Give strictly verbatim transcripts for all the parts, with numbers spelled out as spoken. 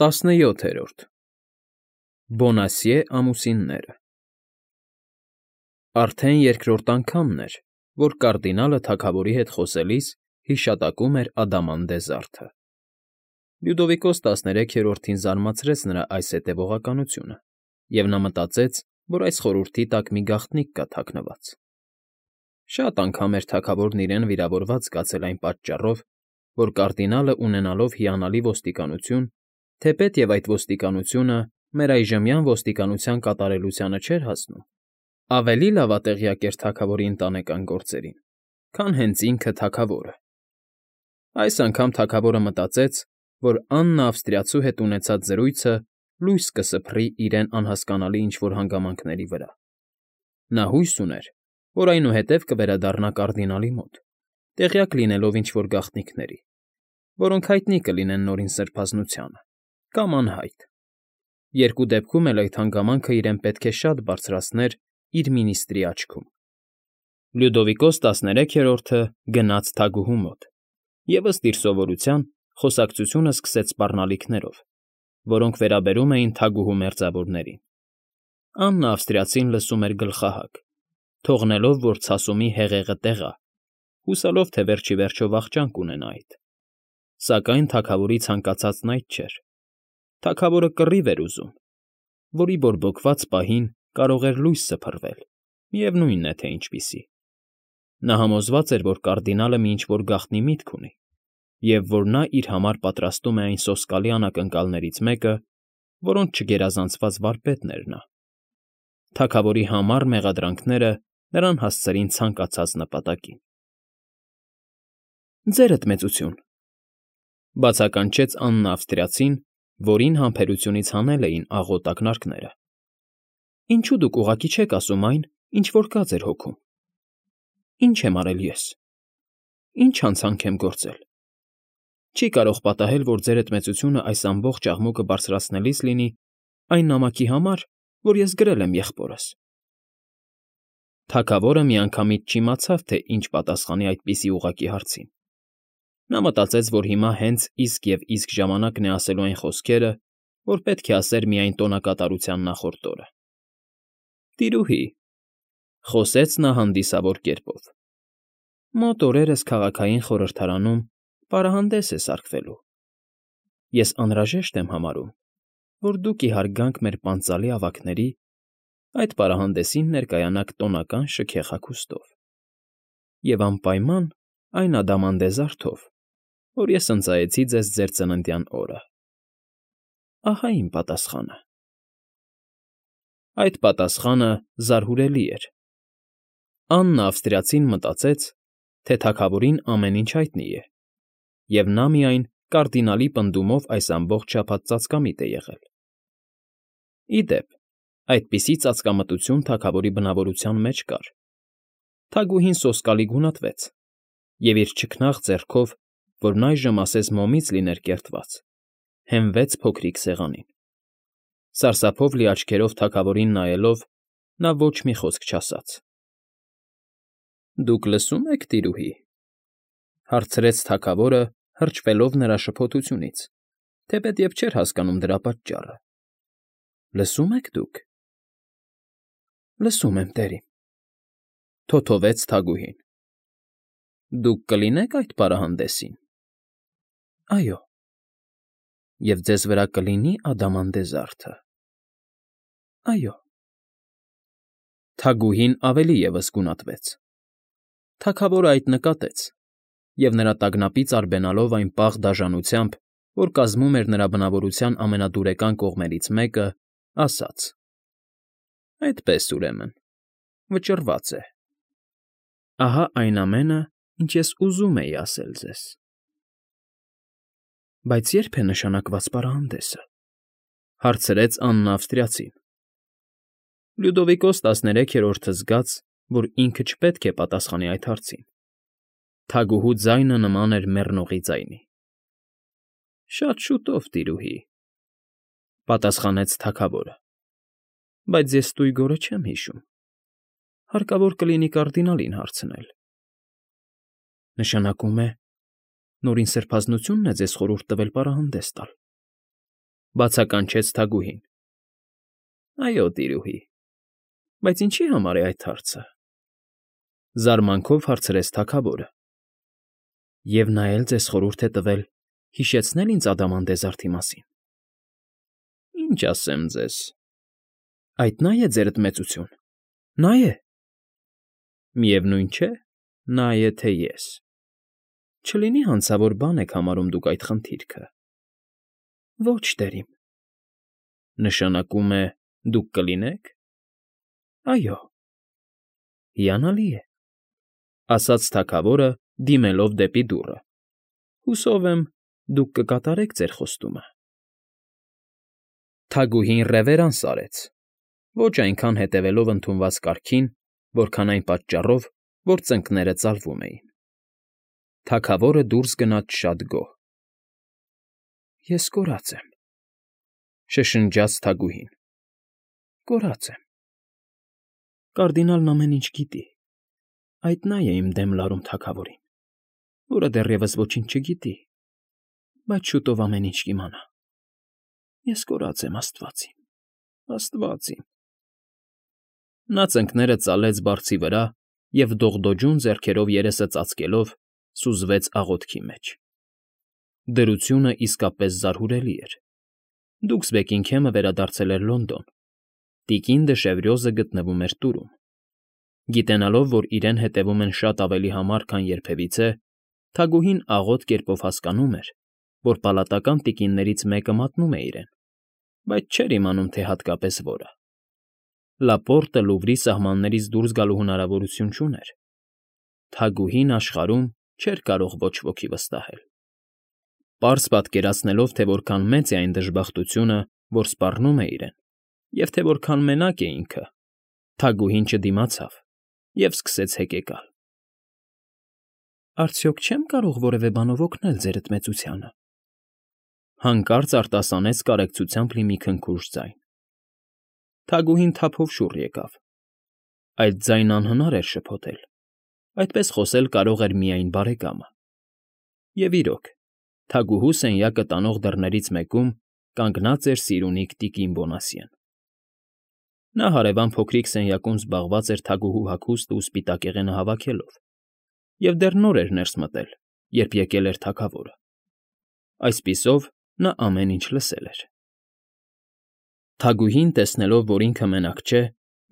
ՏԱՍՆՅՈԹԵՐՈՐԴ Բոնասիե ամուսինները Արդեն երկրորդ անգամն էր, որ կարդինալը թագավորի հետ խոսելիս հիշատակում էր Ադամանդե զարդը. Լյուդովիկոս տասներեքերորդին զարմացրեց նրա այս հետևողականությունը, և նա մտածեց, որ այս խորհրդի տակ մի գաղտնիք կա թաքնված. շատ անգամ էր թագավորն իրեն վիրավորված զգացել այն պատճառով, որ կարդինալը ունենալով հիանալի ոստիկանություն, թեպետ և այդ ոստիկանությունը մեր այժմյան ոստիկանության կատարելությանը չէր հասնում, ավելի լավատեղյակ էր թագավորի ընտանեկան գործերին, քան հենց ինքը թագավորը. այս անգամ թագավորը մտածեց, որ Աննա Ավստրիացու հետ ունեցած զրույցը լույս կսփռի իրեն անհասկանալի ինչ֊որ հանգամանքների վրա. նա հույս ուներ, որ այնուհետև կվերադառնա կարդինալի մոտ, տեղյակ լինելով ինչ֊որ գաղտնիքների, որոնք հայտնի կլինեն Նորին Սրբազնությանը, կամ անհայտ. երկու դեպքում էլ այդ հանգամանքը իրեն պետք է շատ բարձրացներ իր մինիստրի աչքում։ Լյուդովիկոս տասներեքերորդը գնաց թագուհու մոտ և, ըստ իր սովորության, խոսակցությունը սկսեց սպառնալիքներով, որոնք վերաբերում էին թագուհու մերձավորներին. Աննա Ավստրիացին լսում էր գլխահագ, թողնելով, որ ցասումի հեղեղը տեղա, հուսալով, թե վերջ ի վերջո վախճան կունենա այդ, սակայն թագավորի ցանկացածն այդ չէր. թագավորը կռիվ էր ուզում, որի բորբոքված պահին կարող էր լույս սփռվել, միևնույն է, թե ինչպիսի. նա համոզված էր, որ կարդինալը մի ինչ֊որ գաղտնի միտք ունի, և որ նա իր համար պատրաստում է այն սոսկալի անակնկալներից մեկը, որոնց չգերազանցված վարպետն էր նա. թագավորի համառ մեղադրանքները նրան հասցրին ցանկացած նպատակին։ ֊ Ձերդ մեծություն,֊ բացականչեց Աննա Ավստրիացին, որին համբերությունից հանել էին աղոտ ակնարկները,֊ ինչո՞ւ դուք ուղղակի չեք ասում այն, ինչ որ կա ձեր հոգում։ Ի՞նչ եմ արել ես, ի՞նչ հանցանք եմ գործել։ Չի կարող պատահել, որ ձերդ մեծությունը այս ամբողջ աղմուկը բարձրացնելիս լինի այն նամակի համար, որ ես գրել եմ եղբորս։ Թագավորը միանգամից չիմացավ, թե ինչ պատասխանի այդպիսի ուղղակի հարցին. նա մտածեց, որ հիմա հենց իսկ և իսկ ժամանակն է ասելու այն խոսքերը, որ պետք է ասեր միայն տոնակատարության նախորդ օրը։ ֊ Տիրուհի,֊ խոսեց նա հանդիսավոր կերպով,֊ մոտ օրերս քաղաքային խորհրդարանում պարահանդես է սարքվելու։ Ես անհրաժեշտ եմ համարում, որ դուք ի հարգանք մեր պանծալի ավագների այդ պարահանդեսին ներկայանաք տոնական շքեղ հագուստով և անպայման այն ադամանդեզարդով, որ ես ընծայեցի ձեզ ձեր ծննդյան օրը։ Ահա իմ պատասխանը։ Այդ պատասխանը զարհուրելի էր։ Աննա Ավստրիացին մտածեց, թե թագավորին ամեն ինչ հայտնի է, և նա միայն կարդինալի պնդումով այս ամբողջ շաբաթ ծածկամիտ է եղել։ Ի դեպ, այդպիսի ծածկամտություն թագավորի բնավորության մեջ կար. թագուհին սոսկալի գունատվեց և իր չքնաղ ձեռքով, որն այժմ ասես մոմից լիներ կերտված, հենվեց փոքրիկ սեղանին։ Սարսափով լի աչքերով թագավորին նայելով՝ նա ոչ մի խոսք չասաց։ ֊ Դուք լսո՞ւմ եք, տիրուհի,֊ հարցրեց թագավորը, հրճվելով նրա շփոթությունից, թեպետ և չէր հասկանում դրա պատճառը։ ֊ Լսո՞ւմ եք դուք։ ֊ Լսում եմ, տերին,֊ թոթովեց թագուհին։ ֊ Դուք կլինե՞ք այդ պարահանդեսին։ ֊ Այո։ ֊ Եվ ձեզ վրա կլինի ադամանդեզարդը։ ֊ Այո։ Թագուհին ավելի ևս գունատվեց։ Թագավորը այդ նկատեց և, նրա տագնապից արբենալով այն պաղ դաժանությամբ, որ կազմում էր նրա բնավորության ամենադուրեկան կողմերից մեկը, ասաց. ֊ Այդպես, ուրեմն, վճռված է։ Ահա այն ամենը, ինչ ես ուզում էի ասել ձեզ։ ֊ Բայց ե՞րբ է նշանակված պարահանդեսը,֊ հարցրեց Աննա Ավստրիացին։ Լյուդովիկոս տասներեքերորդը զգաց, որ ինքը չպետք է պատասխանի այդ հարցին. թագուհու ձայնը նման էր մեռնողի ձայնի։ ֊ Շատ շուտով, տիրուհի,֊ պատասխանեց թագավորը,֊ բայց ես ստույգորը չեմ հիշում, հարկավոր կլինի կարդինալին հարցնել։ ֊ Նշանակում է, Նորին Սրբազնությո՞ւնն է ձեզ խորհուրդ տվել պարահանդես տալ։ ֊ Բացականչեց թագուհին։ ֊ Այո, տիրուհի, բայց ինչի՞ համար է այդ հարցը,֊ զարմանքով հարցրեց թագավորը։ ֊ Եվ նա էլ ձեզ խորհուրդ է տվել հիշեցնել ինձ Ադամանդեզարդի մասին։ ֊ Ինչ ասեմ ձեզ… Այդ նա՞ է, ձերդ մեծություն, նա՞ է… Միևնույն չէ, նա է, թե ես… Չլինի հանցավոր բան եք համարում դուք այդ խնդիրքը… ֊ Ո՛չ, տերիմ… ֊ Նշանակում է, դուք կլինե՞ք… ֊ Այո։ ֊ Հիանալի է,֊ ասաց թագավորը, դիմելով դեպի դուռը։֊ Հուսով եմ, դուք կկատարեք ձեր խոստումը… Թագուհին ռևերանս արեց, ոչ այնքան հետևելով ընդունված կարգին, որքան այն պատճառով, որ ծնկները ծալվում էին։ Թագավորը դուրս գնաց շատ գոհ։ ֊ Ես կորած եմ,֊ շշնջաց թագուհին,֊ կորած եմ… Կարդինալն ամեն ինչ գիտի, այդ նա է իմ դեմ լարում թագավորին, որը դեռևս ոչինչ չգիտի, բայց շուտով ամեն ինչ կիմանա… Ես կորած եմ, աստված իմ, աստված իմ… Նա ծնկները ծալեց բարձի վրա և, դողդոջուն ձեռքերով երեսը ծածկելով, սուզվեց աղոթքի մեջ… Դրությունը իսկապես զարհուրելի էր… Դուքս Բեքինգհեմը վերադարձել էր Լոնդոն, տիկին Դեշևրյոզը գտնվում էր տուրում… Գիտենալով, որ իրեն հետևում են շատ ավելի համար, քան երբևիցե, թագուհին աղոտ կերպով հասկանում էր, որ պալատական տիկիններից մեկը մատնում է իրեն, բայց չէր իմանում, թե հատկապես որը… Լապորտը Լուվրի սահմաններից դուրս գալու հնարավորություն չուներ… Թագուհին աշխարհում չէր կարող ոչ ոքի վստահել… Պարզ պատկերացնելով, թե որքան մեծ է այն դժբախտությունը, որ սպառնում է իրեն, և թե որքան մենակ է ինքը, թագուհին չդիմացավ և սկսեց հեկեկալ։ ֊ Արդյոք չեմ կարող որևէ բանով օգնել ձերդ մեծությանը,֊ հանկարծ արտասանեց կարեկցությամբ լի մի քնքուշ ձայն։ Թագուհին թափով շուռ եկավ… Այդ ձայնն անհնար էր շփոթել, այդպես խոսել կարող էր միայն բարեկամը… Եվ իրոք, թագուհու սենյակը տանող դռներից մեկում կանգնած էր սիրունիկ տիկին Բոնասյեն… Նա հարևան փոքրիկ սենյակում զբաղված էր թագուհու հագուստը ու սպիտակեղենը հավաքելով և դեռ նոր էր ներս մտել, երբ եկել էր թագավորը… Այսպիսով, նա ամեն ինչ լսել էր… Թագուհին, տեսնելով, որ ինքը մենակ չէ,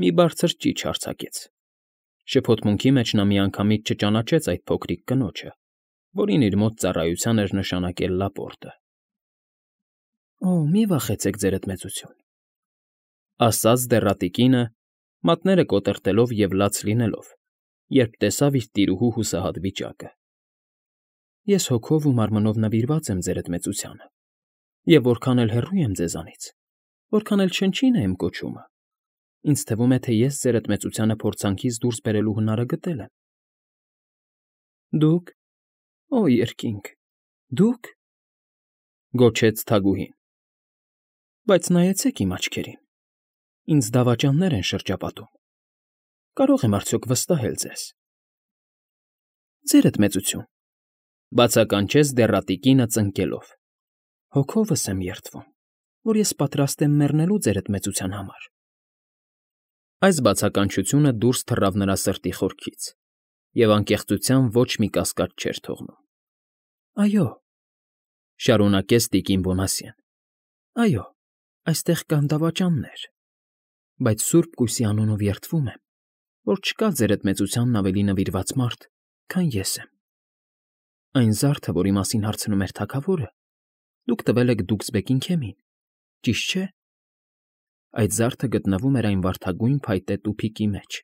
մի բարձր ճիչ արձակեց… Շփոթմունքի մեջ նա միանգամից չճանաչեց այդ փոքրիկ կնոջը, որին իր մոտ ծառայության էր նշանակել Լապորտը։ ֊ Օ՜, մի վախեցեք, ձերդ մեծություն,֊ ասաց դեռատիկինը, մատները կոտրտելով և լաց լինելով, երբ տեսավ իր տիրուհու հուսահատ վիճակը։֊ Ես հոգով ու մարմնով նվիրված եմ ձերդ մեծությանը և որքան էլ հեռու եմ ձեզանից, որքան էլ չնչին է իմ կոչումը, ինձ թվում է, թե ես ձերդ մեծությանը փորձանքից դուրս բերելու հնարը գտել եմ։ ֊ Դուք… Օ, երկինք… Դուք…֊ գոչեց թագուհին։ ֊ Բայց նայեցեք իմ աչքերին, ինձ դավաճաններ են շրջապատում, կարո՞ղ եմ արդյոք վստահել ձեզ։ ֊ Ձերդ մեծություն,֊ բացականչեց դեռատիկինը ծնկելով,֊ հոգովս եմ երդվում, որ ես պատրաստ եմ մեռնելու ձերդ մեծության համար… Այս բացականչությունը դուրս թռավ նրա սրտի խորքից և անկեղծության ոչ մի կասկած չէր թողնում։ ֊ Այո,֊ շարունակեց տիկին Բոնասյեն,֊ այո, այստեղ կան դավաճաններ, բայց Սուրբ Կույսի անունով երդվում եմ, որ չկա ձերդ մեծությանն ավելի նվիրված մարդ, քան ես եմ… Այն զարդը, որի մասին հարցնում էր թագավորը, դուք տվել եք դուքս Բեքինգհեմին, ճիշտ չէ՞։ Այդ զարդը գտնվում էր այն վարդագույն փայտե տուփիկի մեջ,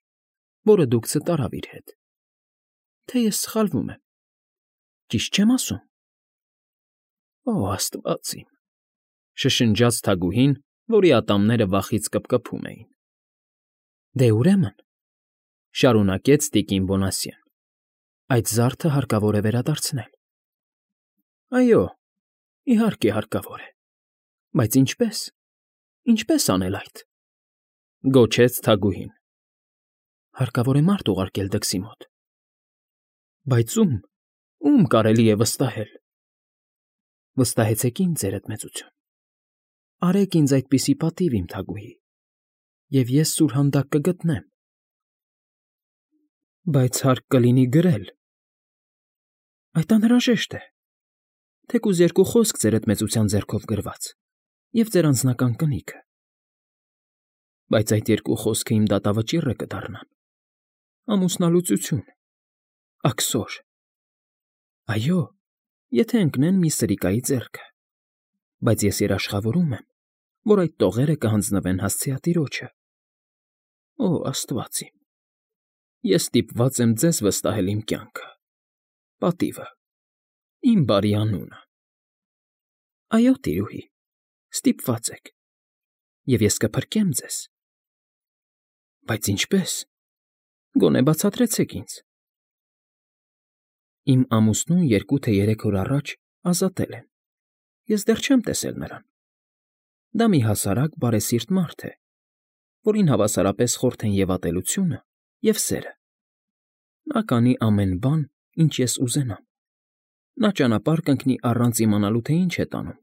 որը դուքսը տարավ իր հետ… Թե ես սխալվում եմ, ճիշտ չե՞մ ասում։ ֊ Օ, աստված իմ,֊ շշնջաց թագուհին, որի ատամները վախից կպկպում էին։ ֊ Դե, ուրեմն,֊ շարունակեց տիկին Բոնասյեն,֊ այդ զարդը հարկավոր է վերադարձնել։ ֊ Այո, իհարկե հարկավոր է, բայց ինչպե՞ս, ինչպե՞ս անել այդ,֊ գոչեց թագուհին։ ֊ Հարկավոր է մարդ ուղարկել դքսի մոտ։ ֊ Բայց ո՞ւմ, ո՞ւմ կարելի է վստահել։ ֊ Վստահեցեք ինձ, ձերդ մեծություն։ Արեք ինձ այդպիսի պատիվ, իմ թագուհի, և ես սուրհանդակ կգտնեմ։ Բայց հարկ կլինի գրել։ Այդ անհրաժեշտ է, թեկուզ երկու խոսք ձեր էդմեծության ձեռքով գրված, և ձեր անձնական կնիքը։ Բայց այդ երկու խոսքը իմ դատավճիռը կդառնան, ամուսնալուծություն, աքսոր։ Այո, եթե ընկնեն մի սրիկայի ձեռքը, բայց ես երաշխավորում եմ, որ այդ տողերը կհանձնվեն հասցեատիրոջը։ Օ, աստված իմ, ես ստիպված եմ ձեզ վստահել իմ կյանքը, պատիվը, իմ բարի անունը։ Այո, տիրուհի, ստիպված եք, և ես կփրկեմ ձեզ։ Բայց ինչպե՞ս, գոնե բացատրեցեք ինձ։ Իմ ամուսնուն երկու թե երեք օր առաջ ազատել են, ես դեռ չեմ տեսել նրան։ Դա մի հասարակ բարեսիրտ մարդ է, որին հավասարապես խորթ են և ատելությունը, և սերը։ Նա կանի ամեն բան, ինչ ես ուզենամ։ Նա ճանապարհ կընկնի առանց իմանալու, թե ինչ է տանում,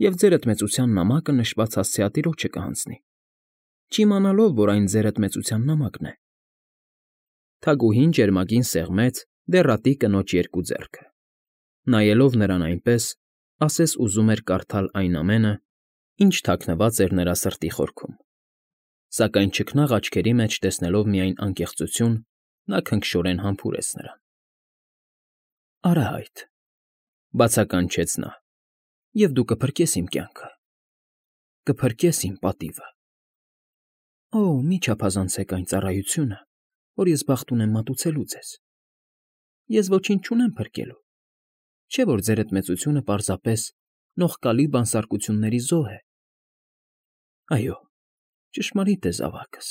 և ձեր էդմեծության նամակը նշված հասցեատիրոջը կհանձնի, չիմանալով, որ այն ձեր էդմեծության նամակն է։ Թագուհին ջերմագին սեղմեց դեռատի կնոջ երկու ձեռքը, նայելով նրան այնպես, ասես ուզում էր կարդալ այն ամենը, ինչ թաքնված էր նրա սրտի խորքում, սակայն չքնաղ աչքերի մեջ տեսնելով միայն անկեղծություն, նա քնքշորեն համբուրեց նրան։ Արահայտ, բացականչեց նա, և դու կփրկես իմ կյանքը, կփրկես իմ պատիվը։ Օ, մի չափազանցեք այն ծառայությունը, որ ես բախտ ունեմ մատուցելու ձեզ։ Ես ոչինչ չունեմ փրկելու, չէ՞ որ ձեր էդմեծությունը պարզապես նողկալի բանսարկությունների զոհ է։ Այո, ճշմարիտ է, զավակս,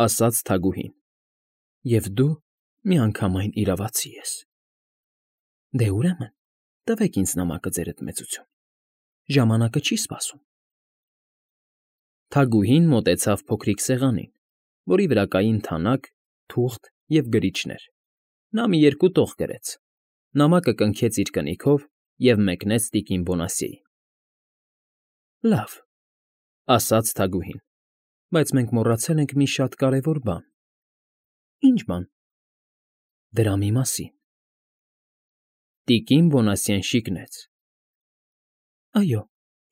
ասաց թագուհին, և դու միանգամայն իրավացի ես։ Դե ուրեմն, տվեք ինձ նամակը, ձեր էդմեծություն, ժամանակը չի սպասում։ Թագուհին մոտեցավ փոքրիկ սեղանին, որի վրա կային թանակ, թուղթ և գրիչներ։ Նա մի երկու տող գրեց, նամակը կնքեց իր կնիքով և մեկնեց տիկին Բոնասիեին։ Լավ, ասաց թագուհին, բայց մենք մոռացել ենք մի շատ կարևոր բան։ Ի՞նչ բան։ Դրա մի մասին։ Տիկին Բոնասիեն շիկնեց։ Այո,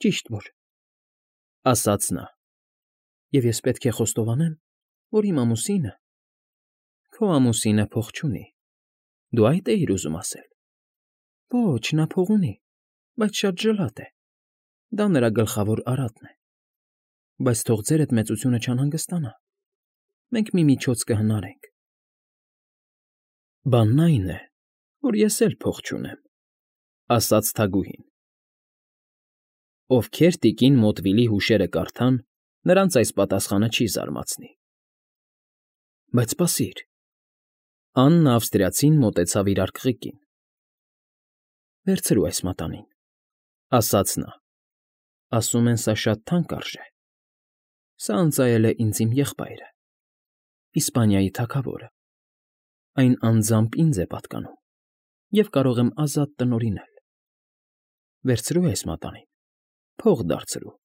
ճիշտ որ, ասաց նա, և ես պետք է խոստովանեմ, որ իմ ամուսինը… Քո ամուսինը փող չունի, դու այդ էիր ուզում ասել։ Ոչ, նա փող ունի, բայց շատ ժլատ է, դա նրա գլխավոր արատն է։ Բայց թող ձեր էդմեծությունը չանհանգստանա, մենք մի միջոց կհնարենք։ Բանն այն է, որ ես էլ փող չունեմ, ասաց թագուհին։ Ովքեր տիկին Մոտվիլի հուշերը կարդան, նրանց այս պատասխանը չի զարմացնի։ Բայց սպասիր… Աննը ավստրիացին մոտեցավ իր արկղիկին։ Վերցրու այս մատանին, ասաց նա, ասում են, սա շատ թանկ արժե։ Սա ընծայել է ինձ իմ եղբայրը, Իսպանիայի թագավորը, այն անձամբ ինձ է պատկանում, և կարող եմ ազատ տնօրինել։ Վերցրու այս մատանին, փող դարձրու,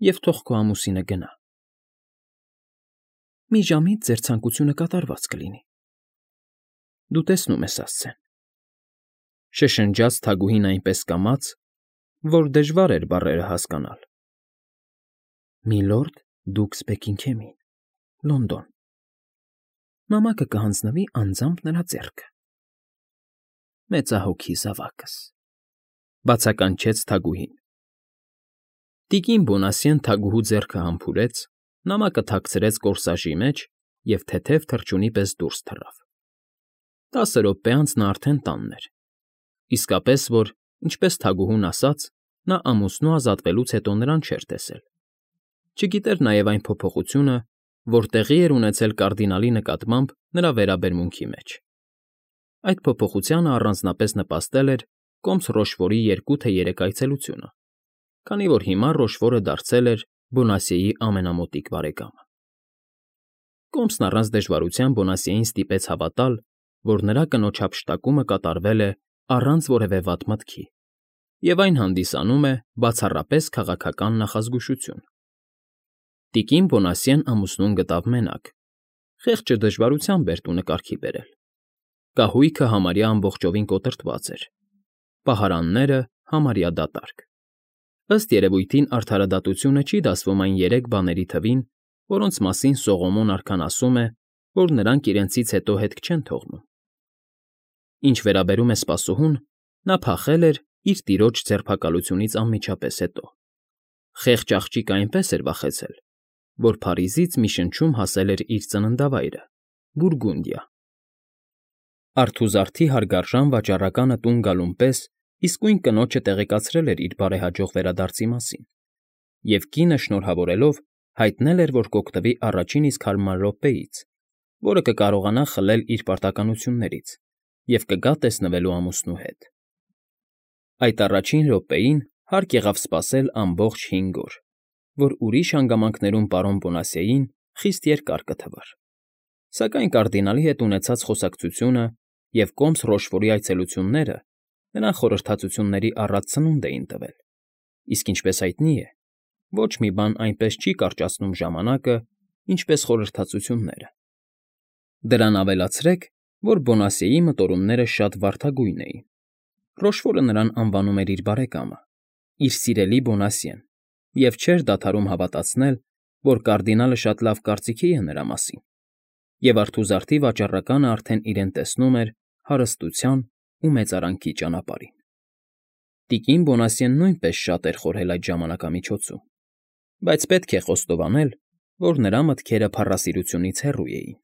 և թող քո ամուսինը գնա։ Մի ժամից ձեր ցանկությունը կատարված կլինի։ Դու տեսնում ես, ասցեն, շշնջաց թագուհին այնպես կամաց, որ դժվար էր բառերը հասկանալ։ Միլորդ Դուքս Բեքինգհեմին, Լոնդոն։ Նամակը կհանձնվի անձամբ նրա ձեռքը։ Մեծահոգի զավակս, բացականչեց թագուհին։ Տիկին Բոնասիեն թագուհու ձեռքը համբուրեց, նամակը թաքցրեց կորսաժի մեջ և թեթև թռչունի պես դուրս թռավ։ Տասը րոպե անց նա արդեն տանն էր, իսկապես որ, ինչպես թագուհուն ասաց, նա ամուսնու ազատվելուց հետո նրան չէր տեսել։ Չգիտեր նաև այն փոփոխությունը, որ տեղի էր ունեցել կարդինալի նկատմամբ նրա վերաբերմունքի մեջ։ Այդ փոփոխությանը առանձնապես նպաստել էր կոմս Ռոշվորի երկու թե երեք այցելությունը, քանի որ հիմա Ռոշվորը դարձել էր Բոնասիեի ամենամոտիկ բարեկամը։ Կոմսն առանց դժվարության Բոնասիեին ստիպեց հավատալ, որ նրա կնոջ հափշտակումը կատարվել է առանց որևէ վատ մտքի, և այն հանդիսանում է բացառապես քաղաքական նախազգուշություն։ Տիկին Բոնասյեն ամուսնուն գտավ մենակ, խեղճը դժվարությամբ էր տունը կարգի բերել, կահույքը համարյա ամբողջովին կոտրտված էր, պահարանները՝ համարյա դատարկ։ Ըստ երևույթին արդարադատությունը չի դասվում այն երեք բաների թվին, որոնց մասին Սողոմոն արքան ասում է, որ նրանք իրենցից հետո հետք չեն թողնում։ Ինչ վերաբերում է սպասուհուն, նա փախել էր իր տիրոջ ձերբակալությունից անմիջապես հետո։ Խեղճ աղջիկը այնպես էր վախեցել, որ Փարիզից մի շնչում հասել էր իր ծննդավայրը՝ Բուրգունդիա։ Արթուզարդի հարգարժան վաճառականը տուն գալուն պես իսկույն կնոջը տեղեկացրել էր իր բարեհաջող վերադարձի մասին, և կինը շնորհավորելով հայտնել էր, որ կօգտվի առաջին իսկ հարմար րոպեից, որը կկարողանա խլել իր պարտականություններից և կգա տեսնվելու ամուսնու հետ։ Այդ առաջին րոպեին հարկ եղավ սպասել ամբողջ հինգ օր, որ ուրիշ հանգամանքներում պարոն Բոնասյեին խիստ երկար կթվար, սակայն կարդինալի հետ ունեցած խոսակցությունը և կոմս Ռոշֆորի այցելությունները նրան խորհրդածությունների առատ սնունդ էին տվել, իսկ ինչպես հայտնի է, ոչ մի բան այնպես չի կարճացնում ժամանակը, ինչպես խորհրդածությունները։ Դրան ավելացրեք, որ Բոնասյեի մտորումները շատ վարդագույն էին. Ռոշֆորը նրան անվանում էր իր բարեկամը, իր սիրելի Բոնասյեն, և չէր դադարում հավատացնել, որ կարդինալը շատ լավ կարծիքի է նրա մասին, և արթուզարդի վաճառականը արդեն իրեն տեսնում էր հարստության ու մեծարանքի ճանապարհին։ Տիկին Բոնասյեն նույնպես շատ էր խորհել այդ ժամանակամիջոցում, բայց պետք է խոստովանել, որ նրա մտքերը փառասիրությունից հեռու էին։